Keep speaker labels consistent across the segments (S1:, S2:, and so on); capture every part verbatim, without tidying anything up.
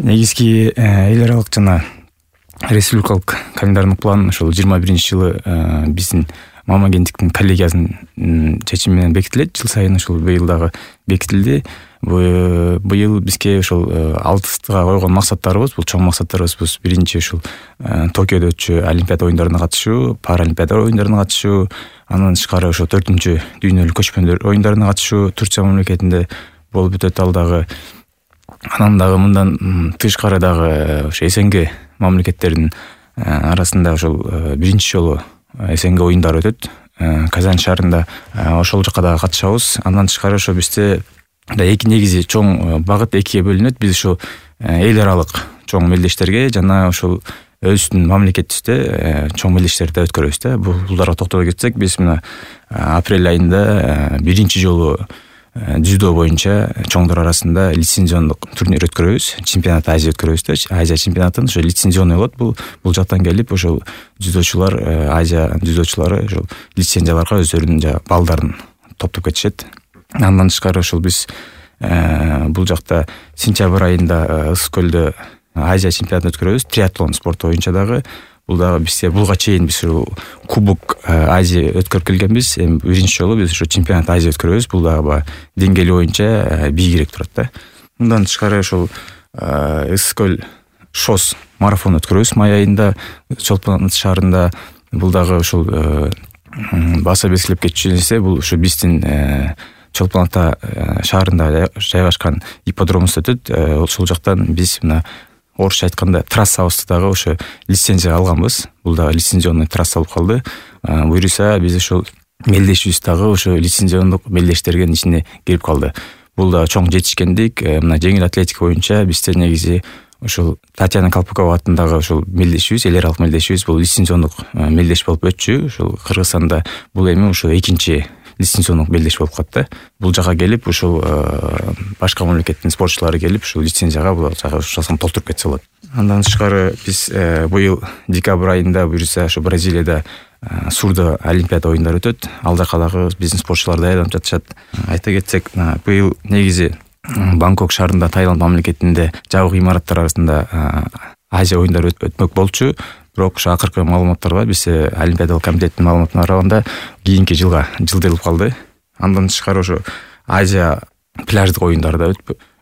S1: негизги эл аралык жана республикалык календарный план ошол жыйырма биринчи жылы биздин мама агенттиктин коллегиясынын чечими менен бекитилет. Жыл сайын ушул быйыл дагы бекитилди. Быйыл бизге ошол алдыга койгон максаттарыбыз, бул чоң максаттарыбыз биринчи ушул Токиодо өтчү Олимпиада оюндарына катышуу, Паралимпиада оюндарына катышуу, андан тышкары ошо төртүнчү дүйнөлүк көчмөндөр оюндарына катышуу Турция мамлекетинде болуп өтөт ал дагы. Анан дагы мындан тышкары дагы ошо СНГ мамлекеттеринин арасында ошол биринчи жолу СНГ оюндары өтөт. Казань шаарында ошол жака дагы катышабыз. Андан тышкары ошо бизде да эки негизи чоң багыт экиге бөлүнөт. Биз ошо эл аралык чоң мелдештерге жана ошол өзүбүздүн мамлекетибизде чоң мелдештерди өткөрөбүз да. Булдарга токтоло кетсек, биз мына апрель айында биринчи жолу дзюдо боюнча чоңдор арасында лицензиондук турнир өткөрөбүз. Чемпионат Азия өткөрөбүз да. Азия чемпионатын ошо лицензионный болот. Бул бул жактан келип ошол дзюдочулар, Азия дзюдочулары ошол лицензияларга өздөрүнүн жа балдарын топтоп кетишет. Андан тышкары ошол биз бул жакта сентябрь айында Ысык көлдө Азия чемпионатын өткөрөбүз. Триатлон спорту боюнча дагы. Бул дагы бизде булга чейин биз ушул Кубок Азия өткөрүп келгенбиз. Эми биринчи жолу биз ушу чемпионат Азия өткөрөбүз. Бул дагы деңгээли боюнча бийигирээк турат да. Мындан тышкары ошол Ысык көл шос марафон өткөрөбүз май айында Чолпон ата шаарында. Бул дагы ушул баса бескилеп кетчү нерсе, бул ушу биздин Чолпон ата шаарында жайгашкан ипподромубузда өтөт. Ошол жактан биз мына орусча айтканда трассабызды дагы ошо лицензия алганбыз. Бул дагы лицензионный трасса болуп калды. Буюрса биз ошол мелдешибиз дагы ошо лицензиондук мелдештердин ичине кирип калды. Бул дагы чоң жетишкендик. Мына жеңил атлетика боюнча бизде негизи ошол Татьяна Колпакова атындагы ошол мелдешибиз, эл аралык мелдешибиз бул лицензиондук мелдеш болуп өтчү. Ошол Кыргызстанда бул эми ошо экинчи лицензиондук мелдеш болуп калат да. Бул жака келип ушул башка мамлекеттин спортчулары келип ушул лицензияга бул жака ушуну толтуруп кетсе болот. Андан тышкары биз быйыл декабрь айында буюрса ошо Бразилияда Сурдо Олимпиада оюндары өтөт. Ал жака дагы биздин спортчулар даярданып жатышат. Айта кетсек, быйыл негизи Бангкок шаарында Таиланд мамлекетинде жабык имараттар арасында Азия оюндары өтмөк болчу. Бирок ошо акыркы маалыматтар бар. Бизде Олимпиадалык комитеттин маалыматына караганда кийинки жылга жылдырылып калды. Андан тышкары ошо Азия пляждык оюндары да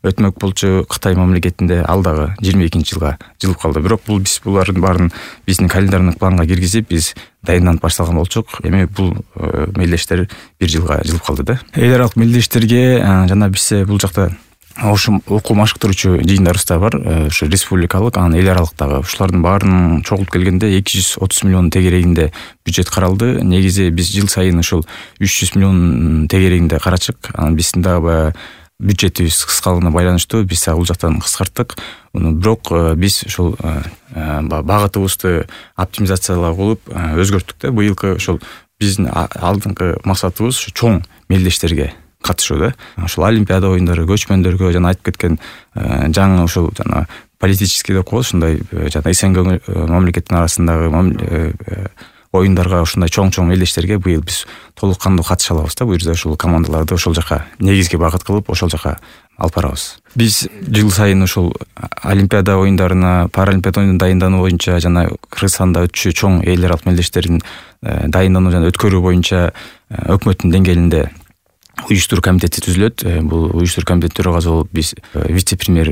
S1: өтмөк болчу Кытай мамлекетинде, ал дагы жыйырма экинчи жылга жылып калды. Бирок бул биз булардын баарын биздин календарный планга киргизип, биз даярданып башталган болчук. Эми бул мелдештер бир жылга жылып калды да. Эл аралык мелдештерге жана бизде бул жакта ошо окуу машыктыруучу жыйындарыбыз да бар. Ошо республикалык, анан эл аралыктагы ушулардын баарын чогултуп келгенде эки жүз отуз миллион тегерегинде бюджет каралды. Негизи биз жыл сайын ушул үч жүз миллион тегерегинде карачык. Анан биздин дагы бюджетибиз кыскалыгына байланыштуу биз бул жактан кыскарттык. Бирок биз ушул багытыбызды оптимизациялап кылып өзгөрттүк да. Быйылкы ушул биздин алдыңкы максатыбыз ушу чоң мелдештерге катышуу да. Ошол Олимпиада оюндары, көчмөндөргө жана айтып кеткен жаңы ушул жана политический деп коебуз, ушундай жана СНГ мамлекеттин арасындагы оюндарга ушундай чоң-чоң мелдештерге быйыл биз толук кандуу катыша алабыз да. Буюрса ушул командаларды ошол жака негизги багыт кылып ошол жака алып барабыз. Биз жыл сайын ушул Олимпиада оюндарына, Паралимпиада оюндарына дайындануу боюнча жана Кыргызстанда өтчү чоң эл аралык мелдештердин дайындануу жана өткөрүү боюнча өкмөттүн деңгээлинде уюштуруу комитети түзүлөт. Бул уюштуруу комитет төрагасы болуп биз вице-премьер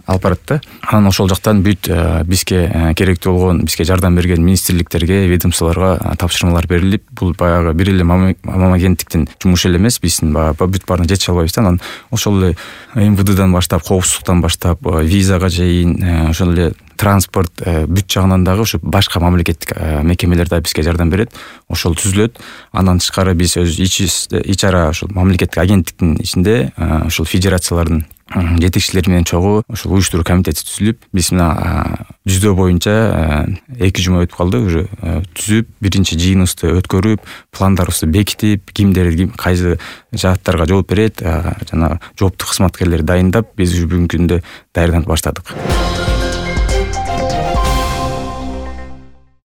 S1: алып барат да. Анан ошол жактан бүт бизге керектүү болгон, бизге жардам берген министрликтерге, ведомстволорго тапшырмалар берилип, бул баягы бир эле мама агенттиктин жумушу эле эмес, биздин баягы бүт баарына жетише албайбыз да. Анан ошол эле эм вэ дэдан баштап, коопсуздуктан баштап, визага чейин, ошол эле транспорт бүт жагынан дагы ушу башка мамлекеттик мекемелер да бизге жардам берет. Ошол түзүлөт. Андан тышкары биз өз ич ара ушул мамлекеттик агенттиктин ичинде ушул федерациялардын жетекчилери менен чогуу ушул уюштуруу комитети түзүлүп, биз мына жүздө боюнча эки жума өтүп калды. Уже түзүп, биринчи жыйыныбызды өткөрүп, пландарыбызды бекитип, кимдер кайсы жааттарга жооп берет жана жооптук кызматкерлерди дайындап, биз бүгүнкү күндө даярданып баштадык.